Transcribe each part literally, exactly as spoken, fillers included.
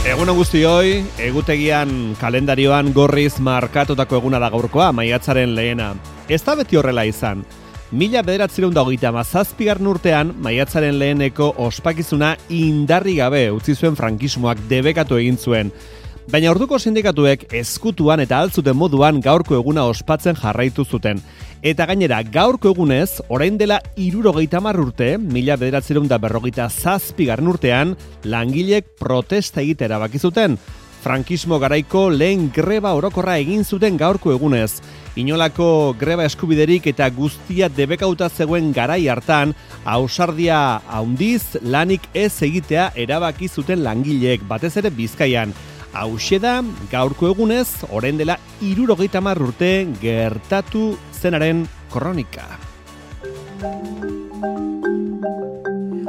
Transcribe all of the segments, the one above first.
Egun guztioi, egutegian kalendarioan gorriz markatutako eguna da gaurkoa, maiatzaren lehena. Ez da beti horrela izan. Mila bederatziehun eta hogeita hamazazpigarren urtean, maiatzaren leheneko ospakizuna indarri gabe utzi zuen frankismoak debekatu egin zuen. Baina orduko sindikatuek ezkutuan eta altzuten moduan gaurko eguna ospatzen jarraitu zuten. Eta gainera, gaurko egunez, orain dela hirurogeita hamar urte, mila bederatziehun eta berrogeita zazpigarren urtean, langileek protesta egitera erabaki zuten. Frankismo garaiko lehen greba orokorra egin zuten gaurko egunez. Inolako greba eskubiderik eta guztia debekauta zegoen garai hartan, ausardia handiz lanik ez egitea erabaki zuten langileek, batez ere Bizkaian. Hauxe da, gaurko egunez, orain dela hirurogeita hamar urte gertatu zenaren kronika.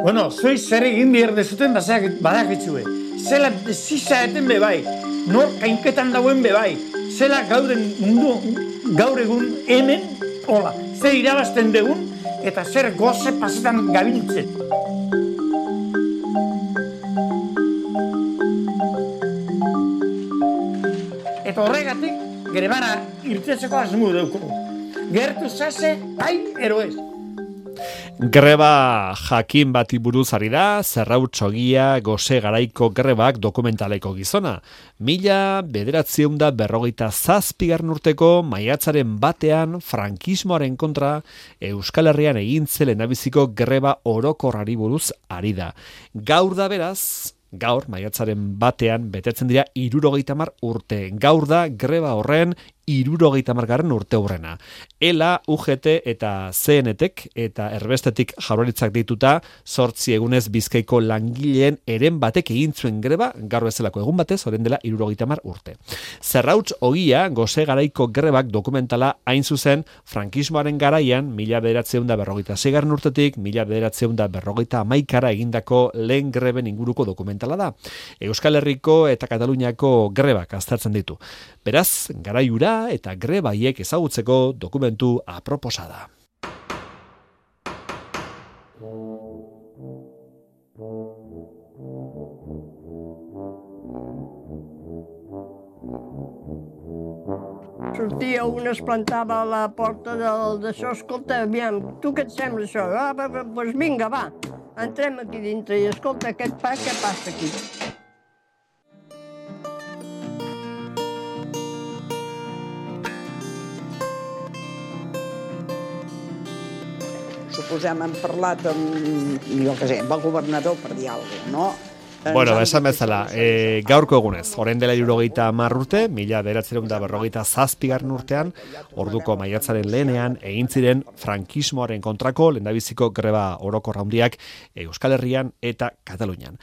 Bueno, zoi zer egin behar dezuten badakitsue. Zela zisa eten bebai, nor kainketan dauen bebai. Zela gauden mundu, gaur egun hemen, hola, zer irabazten degun, eta zer goze pasetan gabiltzen. Eta horregatik, grebara irtetzeko asmu dauko. Gertu zase, hain eroez. Greba jakin bati buruz ari da, Zerrautsogia gose garaiko grebak dokumentaleko gizona. Mila bederatziehun eta berrogeita zazpigarren urteko maiatzaren batean frankismoaren kontra Euskal Herrian egin zen lehendabiziko greba orokorrari buruz ari da. Gaur da beraz, gaur maiatzaren batean betetzen dira hirurogeita hamar urte. Gaur da greba horren hirurogeita hamargarren urte hurrena. Ela, U G T eta C N T-ek eta erbestetik Jaurlaritzak dituta zortzi egunez Bizkaiko langileen eren batek egin zuen greba, gaur bezalako egun batez, orain dela hirurogeita hamar urte. Zerrauts ogia gose garaiko grebak dokumentala hain zuzen frankismoaren garaian, mila bederatziehun eta berrogeita seigarren urtetik, mila bederatziehun eta berrogeita hamaikara egindako lehen greben inguruko dokumentala da. Euskal Herriko eta Kataluniako grebak aztertzen ditu. Beraz, garaiura eta grebaiek ezagutzeko dokumentu aproposa da. Sortia un, es plantava a la porta del, d'això, escolta, aviam, tu què et sembla això? Ah, doncs vinga, va, entrem aquí dintre i escolta, aquest pa, què passa aquí? Suposem, hem parlat amb, jo què sé, amb el governador per dir alguna cosa, no? Bueno, esan bezala, e, gaurko egunez, orain dela hirurogeita hamar urte, mila bederatziehun eta berrogeita zazpigarren urtean, orduko maiatzaren lehenean, egin ziren frankismoaren kontrako lehendabiziko greba orokorra handiak Euskal Herrian eta Katalunian.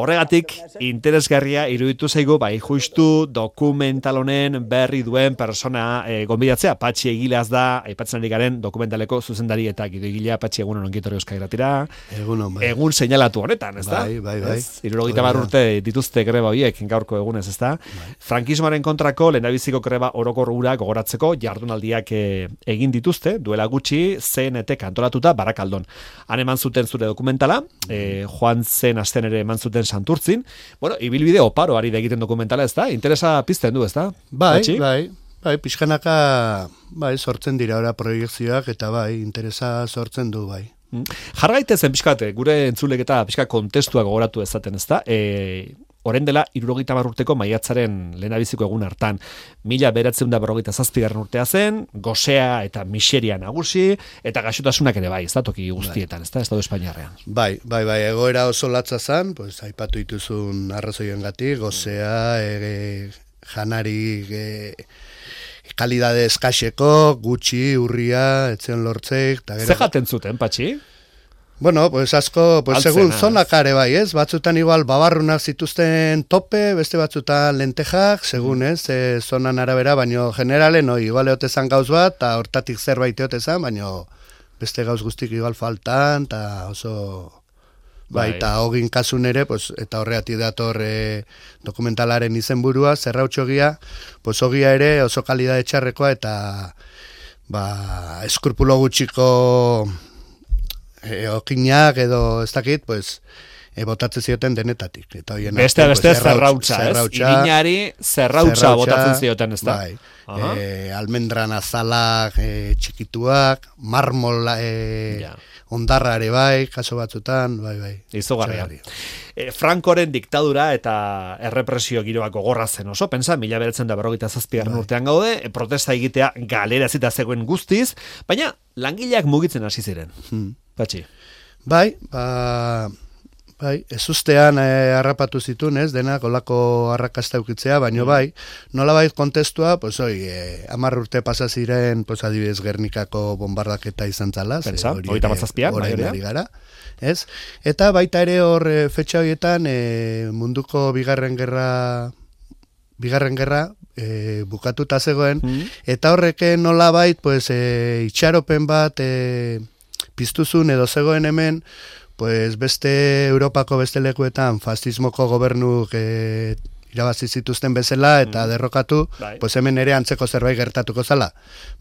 Horregatik, interesgarria iruditu zaigu, bai justu dokumental honen berri duen persona e, gonbidatzea. Patxi Egilaz da, aipatzen ari garen dokumentaleko zuzendari eta Gido Egilea. Patxi, egunon ongitorri Euskal Irratira. Egunon, bai. Egun seinalatu honetan, ez da? Bai, bai, bai. hirurogeita hamar urte dituzte greba horiek gaurko egunez, ez da? Bai. Frankismoaren kontrako lehendabiziko greba orokor hura gogoratzeko jardunaldiak e, egin dituzte, duela gutxi C N T antolatuta Barakaldon. Han eman zuten zure dokumentala, e, joan zen asten ere eman zuten Santurtzin. Bueno, ibilbide oparo ari da egiten dokumentala, ez da? Interesa pizten du, ez da? Bai, Patxi? bai, bai, pixkanaka bai, sortzen dira ora proiektzioak eta bai, interesa sortzen du, bai. Jarraitezen pixkate, gure entzulek eta pixka kontestua gogoratu ezaten, ez da? E, Orain dela hirurogeita hamar urteko maiatzaren lehendabiziko egun hartan, mila bederatziehun eta berrogeita zazpigarren urtea zen, gosea eta miseria nagusi, eta gaixotasunak ere bai, ez da toki guztietan, ez da, Estatu Espainiarrean. Bai, bai, bai, egoera oso latza zen, pues, aipatu dituzun arrazoiengatik, gosea, e, janari, e, kalidade eskaxeko, gutxi, urria, etzen lortzeik. Ze jaten zuten, Patxi? Bueno, pues asko, pues Altzena, segun zonak are bai, ez? Batzutan igual babarrunak zituzten tope, beste batzutan lentejak, segun, ez? E, zonan arabera, baino generalen, no, igual eotezan gauz bat, eta hortatik zerbait eotezan, baino beste gauz guztik igual faltan, eta oso... Bai, eta hogin kasun ere, pues, eta horreati dator e, dokumentalaren izenburua, Zerrautsogia, pues hogia ere oso kalidade txarrekoa, eta ba, eskrupulo gutxiko e, okinak edo ez dakit, pues, e, botatze zioten denetatik. Eta hoien beste beste zerrautza, ez? Irinari zerrautza botatzen zioten, ez da? Bai. E, almendran azalak e, txikituak, marmol e, ja. ondarra ere bai, kaso batzutan, bai, bai. Izugarria. E, Frankoren diktadura eta errepresio giroak gogorra zen oso, pensa, mila beratzen da berrogeita zazpigarren urtean gaude, e, protesta egitea galera zita zegoen guztiz, baina langileak mugitzen hasi ziren. Hmm. Patxi. Bai, ba... Bai, ez ustean eh, harrapatu zitun, ez, denak olako arrakasta ukitzea, baino bai, nola bai kontestua, pues oi, eh, amar urte pasa ziren, pues adibidez Gernikako bombardaketa izan zala, pensa, hogeita hamazazpian, orain ari gara, ez? Eta baita ere hor e, fetxa horietan e, munduko bigarren gerra bigarren gerra e, bukatuta zegoen, mm. eta horreke nola bait, pues, e, itxaropen bat e, piztuzun edo zegoen hemen, pues beste Europako beste lekuetan fascismoko gobernuk e, irabazi zituzten bezala eta mm. derrokatu, bai. Pues hemen ere antzeko zerbait gertatuko zala.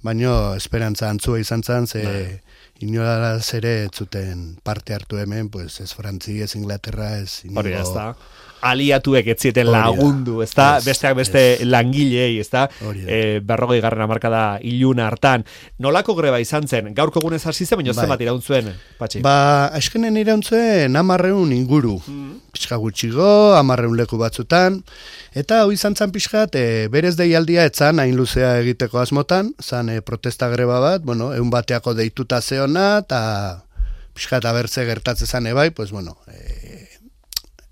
Baino esperantza antzua izan zan, ze bai. Inolaz ere ez zuten parte hartu hemen, pues ez Frantzi, ez Inglaterra, ez inigo... Hori, ez da. Aliatuek ez zieten lagundu, ez da, besteak beste es, langilei, ez da, e, berrogei garren hamarkada iluna hartan. Nolako greba izan zen? Gaurko egunez hasi zen, baina bai. Zenbat iraun zuen, Patxi? Ba, askenen iraun zuen amarreun inguru. Mm. Pixka gutxigo, amarreun leku batzutan, eta hau izan zan pixkat, e, berez deialdia etzan, hain luzea egiteko asmotan, zan e, protesta greba bat, bueno, egun bateako deituta zeona, eta pixkat abertze gertatze zan ebai, pues bueno, e,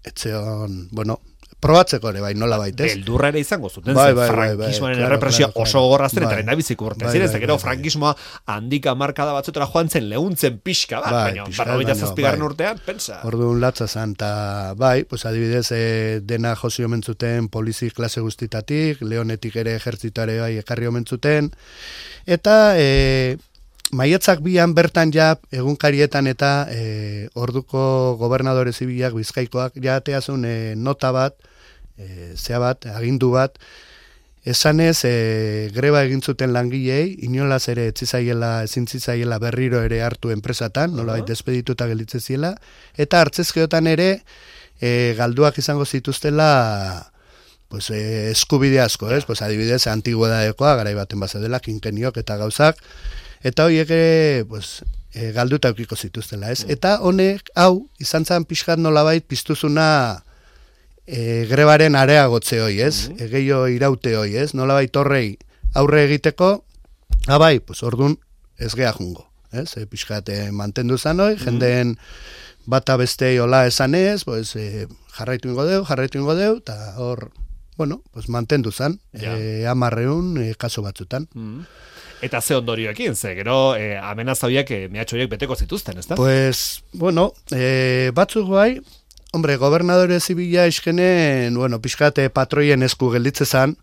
etzeon, bueno, probatzeko ere bai, nola baitez. Beldurra ere izango zuten, bai, bai, frankismoaren bai, bai, errepresioa claro, oso gogorrazten bai, eta lehendabiziko urte. Bai, Ziren, bai, gero bai, frankismoa handika markada batzutera joan zen, lehuntzen pixka bat, bai, baina berrogeita zazpigarren bai. urtean, pensa. Orduan latza zan, eta bai, pues adibidez, eh, dena josi omentzuten polizi klase guztitatik, leonetik ere ejertzitare bai ekarri omentzuten, eta... Eh, Maiatzak bian bertan ja egunkarietan eta e, orduko gobernadore zibilak Bizkaikoak ja ateazun e, nota bat, e, zea bat, agindu bat, esanez e, greba egin zuten langilei, inolaz ere etzizaiela, ezintzizaiela berriro ere hartu enpresatan, nola baita despedituta gelitze ziela, eta hartzezkeotan ere e, galduak izango zituztela pues, e, eskubide asko, ez? Pues, adibidez, antiguedadekoa, garai baten base dela, kinkeniok eta gauzak, eta horiek ere, pues, e, galduta eukiko zituztela, ez? Eta honek, hau, izan zan pixkat nolabait piztuzuna e, grebaren areagotze hoi, ez? Mm -hmm. Egeio iraute hoi, ez? Nolabait horrei aurre egiteko, abai, pues, ordun ez geha jungo, ez? E, pixkat e, mantendu zan hoi, mm -hmm. jendeen bata bestei hola esanez, pues, e, jarraitu ingo deu, jarraitu ingo deu, eta hor, bueno, pues, mantendu zan, ja. e, amarreun e, kaso batzutan. Mm -hmm. Eta ze ondorioekin, ze gero eh, amenaza horiek, eh, mehatxo horiek beteko zituzten, ez da? Pues, bueno, eh, batzuk bai, hombre, gobernadore zibila iskenen, bueno, pixkate patroien esku gelditze zan,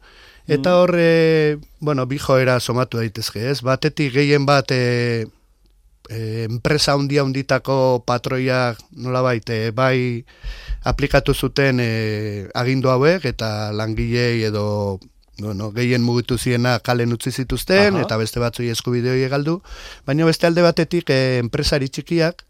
eta hor, eh, bueno, bi joera somatu daitezke, ez? Batetik gehien bat, eh, eh, enpresa handia handitako patroiak, nola baite, bai aplikatu zuten eh, agindu hauek, eta langilei edo... Bueno, gehien mugitu ziena kalen utzi zituzten, aha, eta beste batzui eskubide horiek galdu, baina beste alde batetik eh, enpresari txikiak,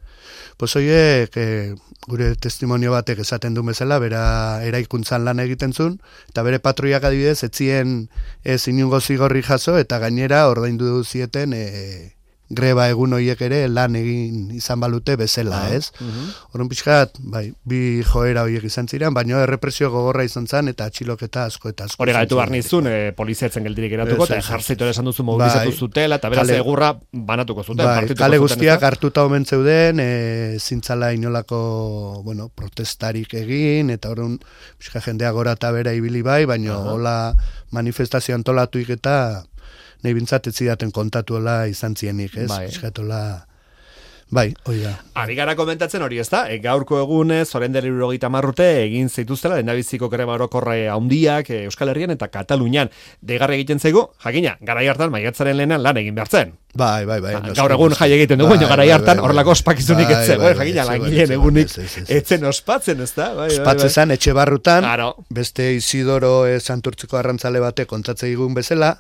pues horiek eh, gure testimonio batek esaten du bezala, bera eraikuntzan lan egiten zuen, eta bere patroiak adibidez, etzien ez inungo zigorri jaso, eta gainera ordaindu zieten eh, greba egun horiek ere lan egin izan balute bezala, ah, ez? Uh-huh. Horren pixkat, bai, bi joera horiek izan ziren, baina errepresio gogorra izan zen, eta atxiloketa asko eta asko. Hore gaitu barnizun, e, poliziatzen geldirik eratuko, eta ejertzitoa esan duzu mobilizatu bai, zutela, eta beraz egurra banatuko zuten. Bai, kale guztiak hartuta omen zeuden, e, zintzala inolako, bueno, protestarik egin, eta horren pixka jendea gora eta bera ibili bai, baina uh-huh, hola manifestazio antolatuik eta nahi bintzat ez zidaten kontatuela izan zienik, ez? Bai. Eskatola, bai, hori da. Ari gara komentatzen hori, ez da? E, gaurko egunez, oren dela hirurogeita hamar urte, egin zituztela, lehendabiziko greba orokorre handiak e, Euskal Herrian eta Katalunian. Degarra egiten zaigu, jakina, garai hartan maiatzaren lehenan lan egin behartzen. Bai, bai, bai. Ha, gaur egun jai egiten dugu, bai, garai hartan horrelako ospakizunik bai, etzen, bai, jakina, bai, langileen egunik bai, bai, etzen ospatzen, ez da? Bai, ospatze zan, etxe barrutan, claro, beste Isidoro e, Santurtziko arrantzale bate kontatze digun bezala,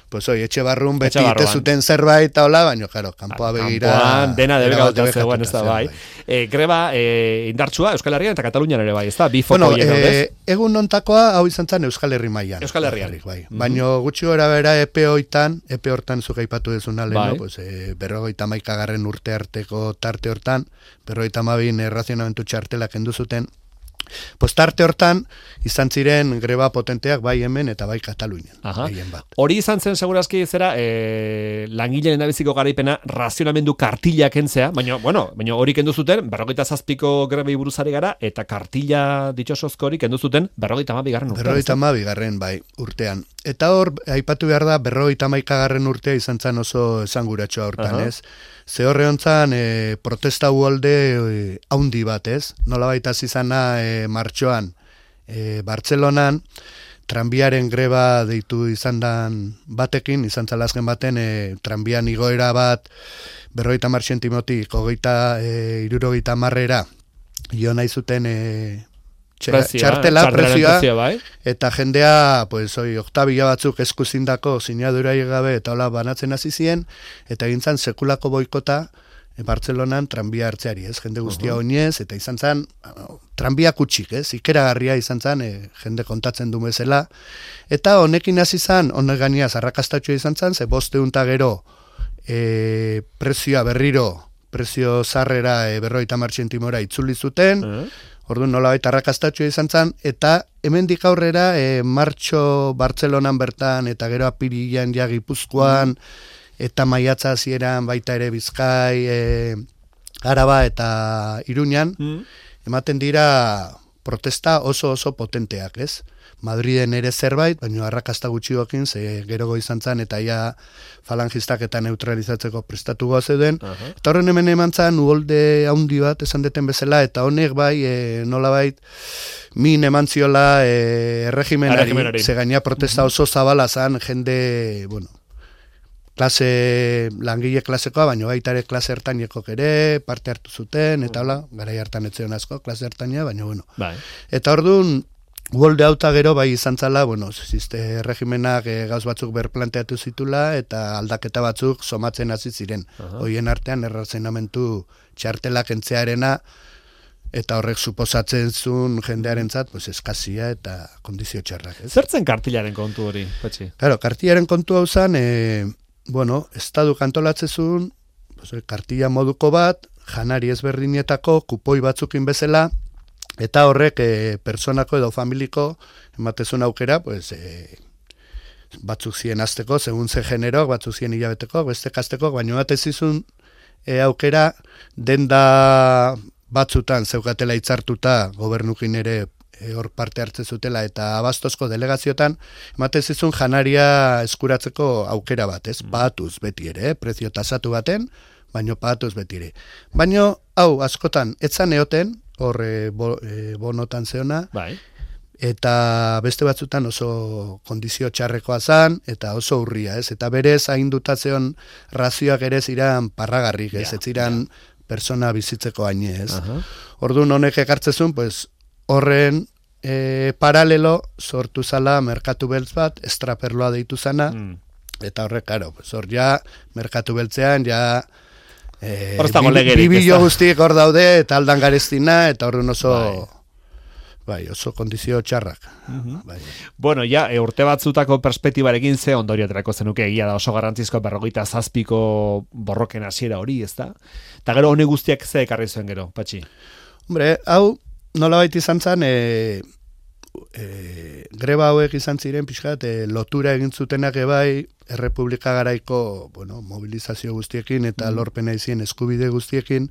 pues oi, etxe barrun beti Etxe barruan. ite zuten zerbait eta hola, baina, claro, kanpoa begira... Kanpoan dena debekatuta zegoen, ez da, bai. bai. E, greba e, indartsua Euskal Herrian eta Katalunian ere bai, ez da? Bi foko Bueno, horiek e, daudez? egun nontakoa hau izan zen Euskal Herri mailan. Euskal Herrian. Bai. Mm-hmm. Baina gutxi gora bera epe hoitan, epe hortan zuk aipatu dezuna lehen, Bai. no? Pues, e, berrogeita maikagarren urte arteko tarte hortan, berrogeita mabin errazionamentu txartela kendu zuten, pues tarte hortan izan ziren greba potenteak bai hemen eta bai Katalunian. Gehien bat. Hori izan zen segurazki zera e, langileen abiziko garaipena razionamendu kartila kentzea, baina, bueno, baina hori kendu zuten berrogeita zazpiko grebei buruzari gara eta kartila ditxosozko hori kendu zuten berrogeita hamabigarren urtean. Berrogeita hamabigarren bai urtean. Eta hor, aipatu behar da, berrogeita hamaikagarren urtea izan zen oso esanguratxoa hortan, Aha. ez? Ze horre hontzan, e, protesta uolde e, haundi bat, ez? Nola baita zizana e, martxoan, e, Bartzelonan, tranbiaren greba deitu izan dan batekin, izan zalazken baten, e, tranbian igoera bat, berrogeita mar sentimotik, hogeita, e, irurogeita marrera, jo nahi zuten... E, Prezioa, txartela, prezioa, prezioa, bai. eta jendea, pues, oi, oktabila batzuk eskuzindako sinadura gabe eta hola banatzen hasi ziren, eta egintzan sekulako boikota e, Bartzelonan tranbia hartzeari, ez, jende guztia uh -huh. oinez, eta izan zen, tranbia kutsik, ez, ikeragarria izan zen, e, jende kontatzen du bezala, eta honekin hasi zen, honek gainiaz, arrakastatxoa izan zen, ze bosteunta gero, e, prezioa berriro, prezio zarrera e, berrogeita hamar zentimora itzuli zuten, uh -huh. Orduan nolabait arrakastatxoa izan zen, eta hemendik aurrera e, martxo Bartzelonan bertan, eta gero apirilan ja Gipuzkoan, mm. eta maiatza hasieran baita ere Bizkai, e, Araba eta Iruñan, mm. ematen dira protesta oso oso potenteak, ez? Madriden ere zerbait, baina arrakasta gutxiokin, ze gerogo izan zen, eta ja falangistak eta neutralizatzeko prestatu zeuden. Uh-huh. Eta horren hemen eman zen, uholde haundi bat, esan deten bezala, eta honek bai, e, nola bait, min eman ziola e, erregimenari, ze gaina protesta oso zabala zen, jende, bueno, klase, langile klasekoa, baina baita ere klase ertainekok ere, parte hartu zuten, eta hola, garai hartan etzion asko, klase ertaina, baina bueno. Bai. Eta orduan, uholde hauta gero bai izan zala, bueno, zizte regimenak e, gauz batzuk berplanteatu zitula eta aldaketa batzuk somatzen hasi ziren. Uh-huh. Hoien artean errazionamentu txartelak entzearena eta horrek suposatzen zuen jendearentzat, pues eskazia eta kondizio txarrak. Ez? Zertzen kartilaren kontu hori, Patxi? Claro, kartilaren kontu hau zen, e, bueno, estadu kantolatzezun, pues, kartila moduko bat, janari ezberdinetako, kupoi batzukin bezala, eta horrek e, personako edo familiko ematezun aukera, pues, e, batzuk zien azteko, segun ze generok, batzuk zien hilabeteko, beste kasteko, baina ematezizun e, aukera denda batzutan zeukatela hitzartuta gobernukin ere e, hor parte hartze zutela eta abastozko delegaziotan, ematezizun janaria eskuratzeko aukera bat, ez? Paatuz beti ere, eh? Prezio tasatu baten, baino paatuz beti ere. Baino, hau, askotan, etzan eoten, hor e, bo, e, bonotan zeona, bai. Eta beste batzutan oso kondizio txarrekoa zan, eta oso urria, ez? Eta berez hainduta zeon razioak ere ziran parragarrik, ez? Ja, ez ziran ja. Persona bizitzeko haine, ez? Uh-huh. Orduan honek ekartzezun, pues, horren e, paralelo sortu zala merkatu beltz bat, estraperloa deitu zana, mm. eta horrek, karo, pues, hor ja, merkatu beltzean, ja, E, Bibilo guztiek hor daude, eta aldan garestina, eta horren oso, bai, bai oso kondizio txarrak. Uh-huh. Bai. Bueno, ja, e, urte batzutako perspektibarekin ze ondorio aterako zenuke, egia da oso garrantzizko berrogeita zazpiko borroken hasiera hori, ez da? Eta gero hone guztiak ze ekarri zuen gero, Patxi? Hombre, hau, nola baita izan zen, e, e, greba hauek izan ziren, pixkat, e, lotura egin zutenak ebai, Errepublika garaiko, bueno, mobilizazio guztiekin eta mm. lorpena izien eskubide guztiekin,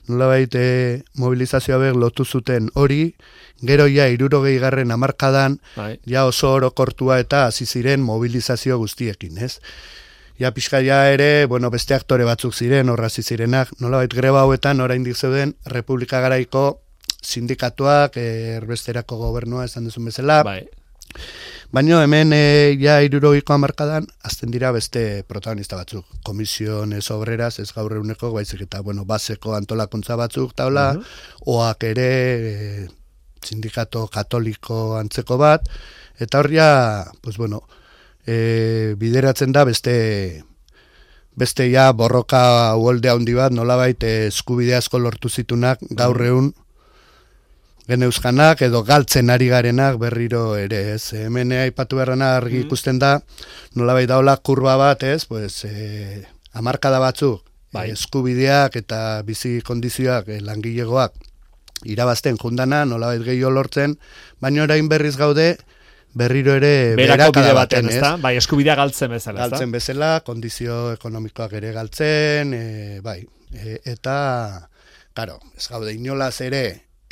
nolabait e, mobilizazioa bek lotu zuten hori, gero ja irurogei garren hamarkadan, bai. Ja oso orokortua eta hasi ziren mobilizazio guztiekin, ez? Ja pixka ja ere, bueno, beste aktore batzuk ziren, horra hasi zirenak, nolabait greba hauetan oraindik zeuden Errepublika garaiko sindikatuak, e, erbesterako gobernua esan duzun bezala, bai. Baina hemen e, ja irurogiko hamarkadan azten dira beste protagonista batzuk. Komisiones obreras, ez gaur eguneko, baizik eta, bueno, baseko antolakuntza batzuk, taula, uh-huh. oak ere, e, sindikato katoliko antzeko bat, eta horria, pues bueno, e, bideratzen da beste beste ja borroka uholde handi bat, nolabait eskubide asko lortu zitunak gaur egun geneuzkanak edo galtzen ari garenak berriro ere, ez? Hemen aipatu beharrena argi ikusten da, nolabait daola kurba bat, ez? Pues, e, hamarkada batzuk, bai. eskubideak eta bizi kondizioak e, langilegoak irabazten jundana, nolabait gehiago lortzen, baina orain berriz gaude, berriro ere berako bide baten, ez da? Bai, eskubidea galtzen bezala, ez da? Galtzen bezala, kondizio ekonomikoak ere galtzen, e, bai, e, eta, karo, ez gaude inolaz ere,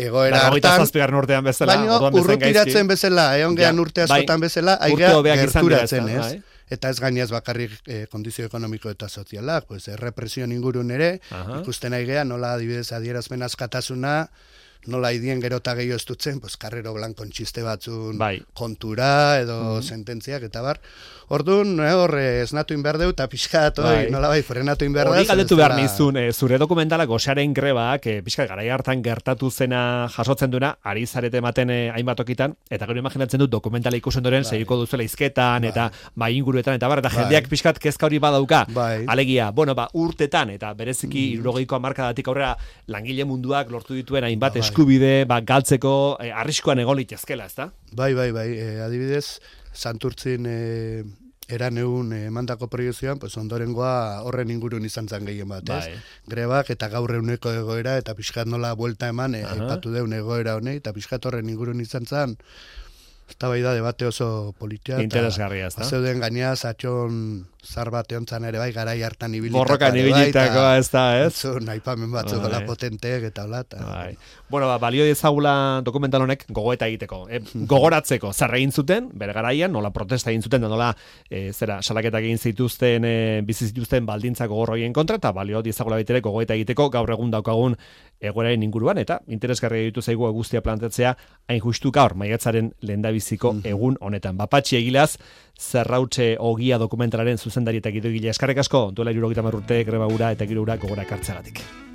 egoera hartan, urtean bezala, baina urrutiratzen bezala, egon gehan ja, urte askotan bai, bezala, aigea gerturatzen, ez? Bai. Eta ez gainez bakarrik eh, kondizio ekonomiko eta sozialak, pues, errepresio ingurun ere, Aha. ikusten aigea, nola adibidez adierazmen askatasuna, nola idien gerota gehiago ez dutzen, pues, karrero blankon txiste batzun bai. kontura, edo mm. sententziak, eta bar. Orduan, eh, horre, esnatu inbehar deu, eta pixkat, bai. nola bai, frenatu inbehar da. Hori galdetu behar nizun, e, zure dokumentala gosearen grebak, e, pixkat garai hartan gertatu zena jasotzen duna, ari zarete ematen e, hainbat okitan, eta gero imaginatzen dut dokumentala ikusen doren, bai. segiko duzuela izketan, bai. eta bai inguruetan, eta bar, eta bai. jendeak pixkat kezka hori badauka. Bai. Alegia, bueno, ba, urtetan, eta bereziki mm. irurogeiko hamarkadatik aurrera langile munduak lortu dituen hainbat bai. eskubide, ba, galtzeko e, arriskuan egon litezkela, ezta? Bai, bai, bai, e, adibidez, Santurtzin e, eran egun emandako proiezioan, pues ondorengoa horren ingurun izan zen gehien bat, ez? Bai. Grebak eta gaur eguneko egoera, eta pixkat nola buelta eman, e, aipatu deun egoera honei, eta pixkat horren ingurun izan zen, eta bai da, debate oso politia. Interesgarria, ez da? Zeuden gainea, zatxon zar bat eontzan ere bai, garai hartan ibilitako. Borrokan ibilitako, ez da, ez? Zun, aipamen batzuk gola potenteek eta hola. Bai. Bueno, ba, balio diezagula dokumental honek gogoeta egiteko. E, gogoratzeko, zer egin zuten, bere garaian, nola protesta egin zuten, da nola, e, zera, salaketak egin zituzten, e, bizi zituzten baldintza gogorroien kontra, eta balio diezagula baitere gogoeta egiteko, gaur egun daukagun egoeraren inguruan, eta interesgarria ditu zaigu guztia plantetzea, hain justu gaur, maiatzaren lehendabiziko egun honetan. Bapatxi Egilaz, Zerrautxe Ogia dokumentalaren zuzendari eta gidoigile eskarrek asko, duela hirurogeita hamar urte greba ura eta giro ura gogora ekartzeagatik.